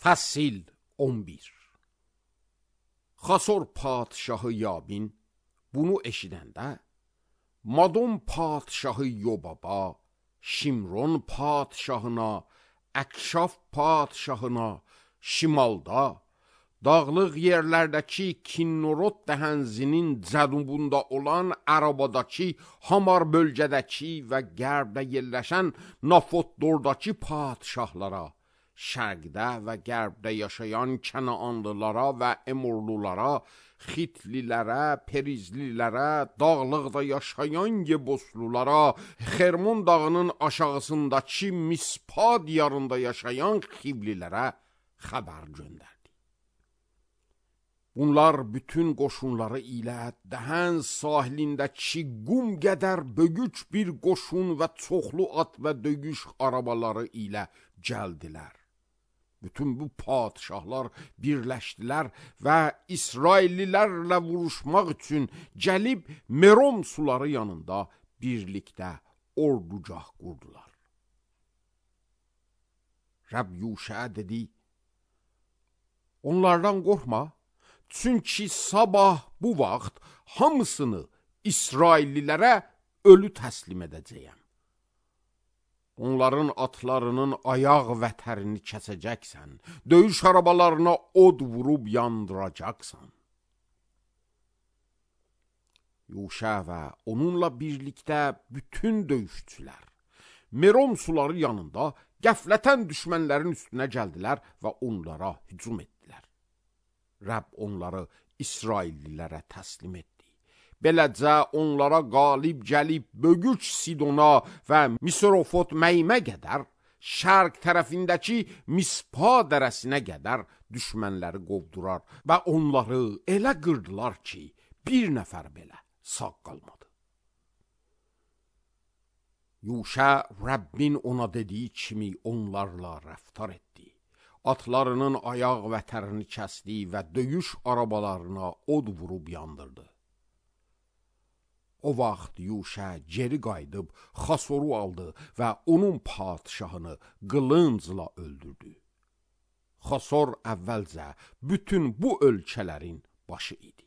Fəsil 11. Xasor padşahı Yabin bunu eşidəndə, Madon padşahı Yobaba, Şimron padşahına, Əkşaf padşahına, şimalda, dağlıq yerlərdəki Kinnorot dəhənzinin cənubunda olan Ərabadakı, Hamar bölgədəki və qərbdə yerləşən Nafotdordakı padşahlara, şərqdə və qərbdə yaşayan Kənaanlılara və Emorlulara, Xitlilərə, Perizlilərə, dağlıqda yaşayan Yeboslulara, Xermon dağının aşağısındakı Mispa diyarında yaşayan Xivlilərə xəbər göndərdi. Bunlar bütün qoşunları ilə Dəhən sahilindəki qum qədər böyük bir qoşun və çoxlu at və döyüş arabaları ilə gəldilər. Bütün bu padşahlar birləşdilər və İsraillilərlə vuruşmaq üçün gəlib Merom suları yanında birlikdə ordugah qurdular. Rəbb Yuşaya dedi, onlardan qorxma, çünki sabah bu vaxt hamısını İsraillilərə ölü təslim edəcəyəm. Onların atlarının ayaq vətərini kəsəcəksən, döyüş arabalarına od vurub yandıracaqsan. Yuşa və onunla birlikdə bütün döyüşçülər Merom suları yanında qəflətən düşmənlərin üstünə gəldilər və onlara hücum etdilər. Rəbb onları İsraillilərə təslim etdi. Beləcə onlara qalib gəlib Bögüç Sidona və Misrofot Məymə qədər, şərq tərəfindəki Mispa dərəsinə qədər düşmənləri qovdurar və onları elə qırdılar ki, bir nəfər belə sağ qalmadı. Yuşa Rəbbin ona dediyi kimi onlarla rəftar etdi. Atlarının ayaq vətərini kəsdi və döyüş arabalarına od vurub yandırdı. O vaxt Yuşa geri qayıdıb Xasoru aldı və onun padşahını qılıncla öldürdü. Xasor əvvəlcə bütün bu ölkələrin başı idi.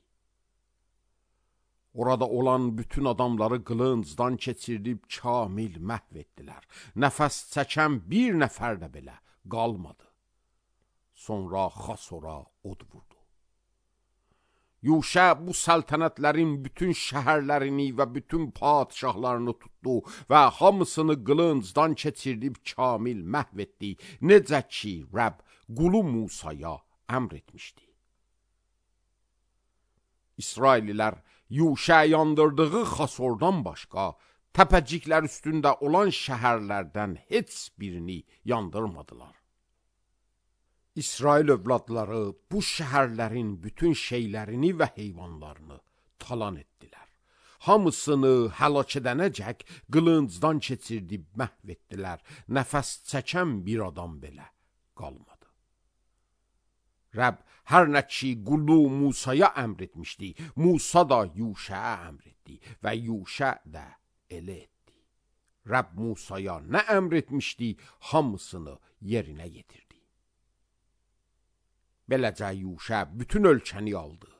Orada olan bütün adamları qılıncdan keçirdib kamil məhv etdilər. Nəfəs çəkən bir nəfər də belə qalmadı. Sonra Xasora od vurdu. Yuşa bu səltənətlərin bütün şəhərlərini və bütün padşahlarını tutdu və hamısını qılıncdan keçirdib kamil məhv etdi, necə ki Rəbb qulu Musaya əmr etmişdi. İsraililər Yuşa yandırdığı Xasordan başqa, təpəciklər üstündə olan şəhərlərdən heç birini yandırmadılar. İsrail övladları bu şəhərlərin bütün şeylərini və heyvanlarını talan etdilər. Hamısını həlak edənəcək qılıncdan keçirdib məhv etdilər. Nəfəs çəkən bir adam belə qalmadı. Rəbb hər nə ki qulu Musaya əmr etmişdi, Musa da Yuşaya əmr etdi və Yuşa da elə etdi. Rəbb Musaya nə əmr etmişdi, hamısını yerinə yetirdi. Beləcə Yuşa bütün ölkəni aldı,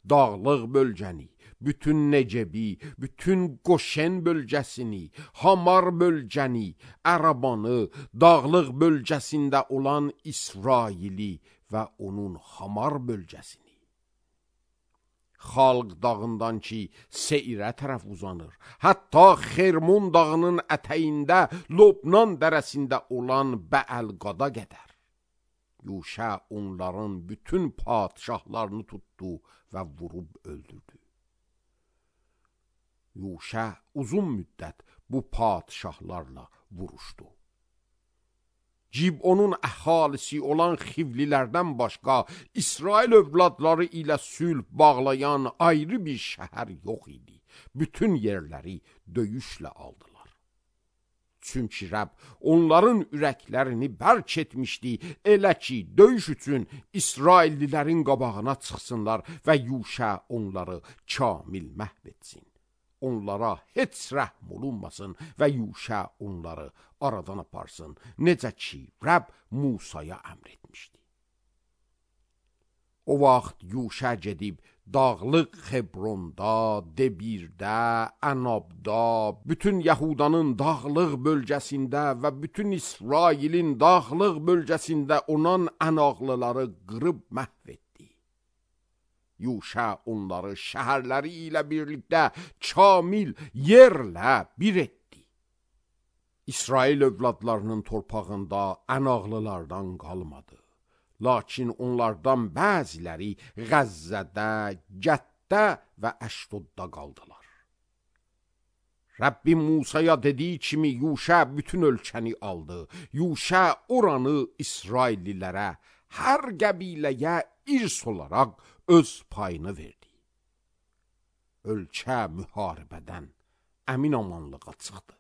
dağlıq bölgəni, bütün Necebi, bütün Qoşen bölgəsini, Hamar bölgəni, Ərabanı, dağlıq bölgəsində olan İsraili və onun Hamar bölgəsini. Xalq dağından ki Seirə tərəf uzanır, hətta Xermon dağının ətəyində Lobnan dərəsində olan Bəəlqada qədər. Yuşa onların bütün padşahlarını tutdu və vurub öldürdü. Yuşa uzun müddət bu padşahlarla vuruşdu. Cibonun əhalisi olan Xivlilərdən başqa İsrail övladları ilə sülh bağlayan ayrı bir şəhər yox idi. Bütün yerləri döyüşlə aldılar. Çünki Rəbb onların ürəklərini bərk etmişdi, elə ki döyüş üçün İsraillilərin qabağına çıxsınlar və Yuşa onları kamil məhv etsin. Onlara heç rəhm olunmasın və Yuşa onları aradan aparsın, necə ki Rəbb Musaya əmr etmişdi. O vaxt Yuşa gedib dağlıq Xebronda, Debirdə, Ənabda, bütün Yahudanın dağlıq bölgəsində və bütün İsrailin dağlıq bölgəsində olan ənaqlıları qırıb məhv etdi. Yuşa onları şəhərləri ilə birlikdə kamil yerlə bir etdi. İsrail övladlarının torpağında ənaqlılardan qalmadı. Lakin onlardan bəziləri Qəzzədə, Gətdə və Əşdodda qaldılar. Rəbbim Musaya dediyi kimi Yuşa bütün ölkəni aldı. Yuşa oranı İsraillilərə, hər qəbiləyə irs olaraq öz payını verdi. Ölkə müharibədən əmin amanlığa çıxdı.